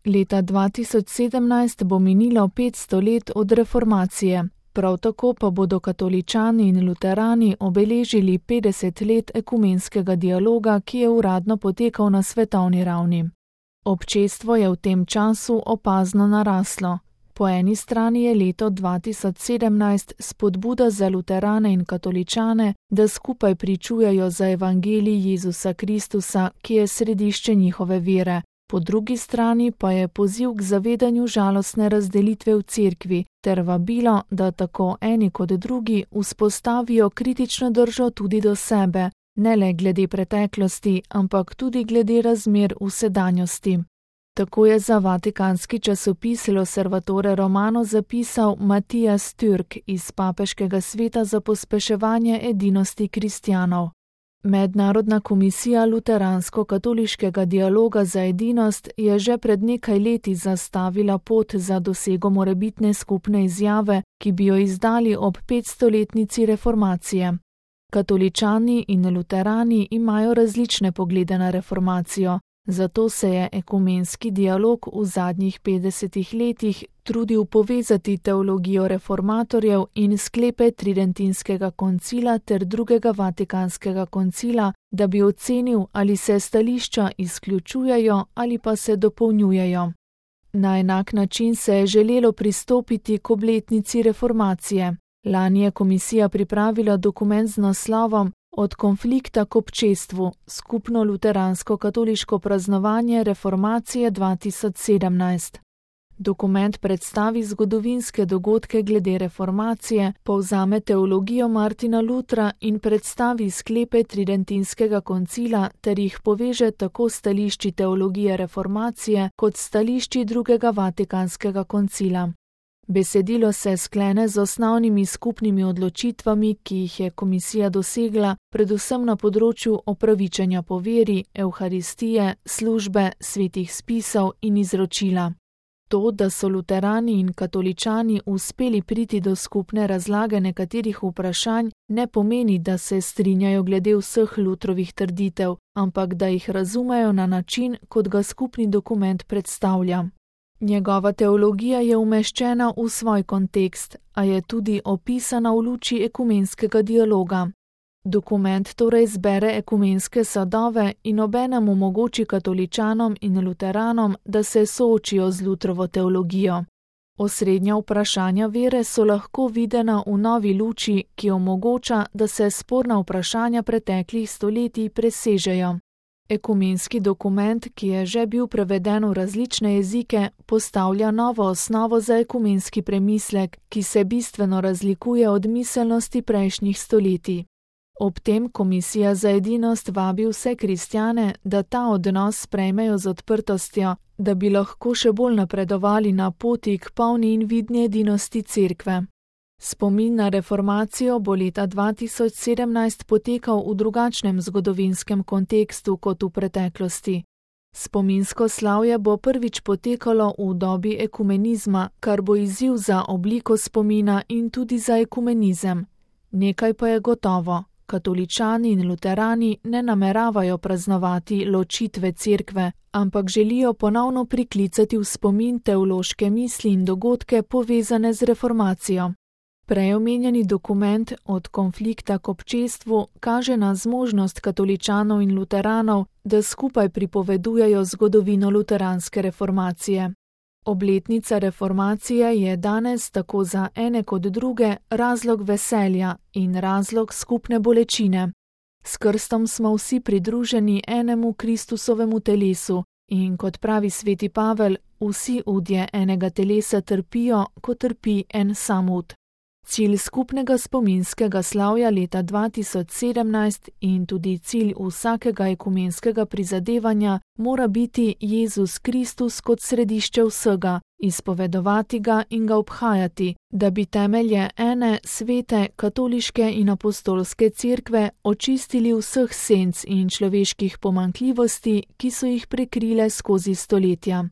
Leta 2017 bo minilo 500 let od reformacije, prav tako pa bodo katoličani in luterani obeležili 50 let ekumenskega dialoga, ki je uradno potekal na svetovni ravni. Občestvo je v tem času opazno naraslo. Po eni strani je leto 2017 spodbuda za luterane in katoličane, da skupaj pričujejo za evangelij Jezusa Kristusa, ki je središče njihove vere. Po drugi strani pa je poziv k zavedanju žalostne razdelitve v cerkvi ter vabilo, da tako eni kot drugi vzpostavijo kritično držo tudi do sebe, ne le glede preteklosti, ampak tudi glede razmer v sedanjosti. Tako je za vatikanski časopis L'Osservatore Romano zapisal Matijas Türk iz Papeškega sveta za pospeševanje edinosti kristjanov. Mednarodna komisija luteransko-katoliškega dialoga za edinost je že pred nekaj leti zastavila pot za dosego morebitne skupne izjave, ki bi jo izdali ob 500-letnici reformacije. Katoličani in luterani imajo različne poglede na reformacijo, zato se je ekumenski dialog v zadnjih 50 letih trudil povezati teologijo reformatorjev in sklepe Tridentinskega koncila ter drugega vatikanskega koncila, da bi ocenil, ali se stališča izključujejo ali pa se dopolnjujejo. Na enak način se je želelo pristopiti k obletnici reformacije. Lani je komisija pripravila dokument z naslovom Od konflikta k občestvu, skupno luteransko-katoliško praznovanje reformacije 2017. Dokument predstavi zgodovinske dogodke glede reformacije, povzame teologijo Martina Lutra in predstavi sklepe Tridentinskega koncila ter jih poveže tako stališči teologije reformacije kot stališči drugega vatikanskega koncila. Besedilo se sklene z osnovnimi skupnimi odločitvami, ki jih je komisija dosegla, predvsem na področju opravičenja po veri, evharistije, službe, svetih spisov in izročila. To, da so luterani in katoličani uspeli priti do skupne razlage nekaterih vprašanj, ne pomeni, da se strinjajo glede vseh Lutrovih trditev, ampak da jih razumejo na način, kot ga skupni dokument predstavlja. Njegova teologija je umeščena v svoj kontekst, a je tudi opisana v luči ekumenskega dialoga. Dokument torej zbere ekumenske sadove in obenem omogoči katoličanom in luteranom, da se soočijo z Lutrovo teologijo. Osrednja vprašanja vere so lahko videna v novi luči, ki omogoča, da se sporna vprašanja preteklih stoletij presežejo. Ekumenski dokument, ki je že bil preveden v različne jezike, postavlja novo osnovo za ekumenski premislek, ki se bistveno razlikuje od miselnosti prejšnjih stoletij. Ob tem komisija za edinost vabi vse kristjane, da ta odnos sprejmejo z odprtostjo, da bi lahko še bolj napredovali na poti k polni in vidni edinosti cerkve. Spomin na reformacijo bo leta 2017 potekal v drugačnem zgodovinskem kontekstu kot v preteklosti. Spominsko slavje bo prvič potekalo v dobi ekumenizma, kar bo izziv za obliko spomina in tudi za ekumenizem. Nekaj pa je gotovo. Katoličani in luterani ne nameravajo praznovati ločitve cerkve, ampak želijo ponovno priklicati v spomin teološke misli in dogodke povezane z reformacijo. Prej omenjeni dokument Od konflikta k občestvu kaže na zmožnost katoličanov in luteranov, da skupaj pripovedujejo zgodovino luteranske reformacije. Obletnica reformacije je danes tako za ene kot druge razlog veselja in razlog skupne bolečine. S krstom smo vsi pridruženi enemu Kristusovemu telesu in kot pravi sveti Pavel, vsi udje enega telesa trpijo, ko trpi en sam ud. Cilj skupnega spominskega slavja leta 2017 in tudi cilj vsakega ekumenskega prizadevanja mora biti Jezus Kristus kot središče vsega, izpovedovati ga in ga obhajati, da bi temelje ene svete katoliške in apostolske cerkve očistili vseh senc in človeških pomanjkljivosti, ki so jih prekrile skozi stoletja.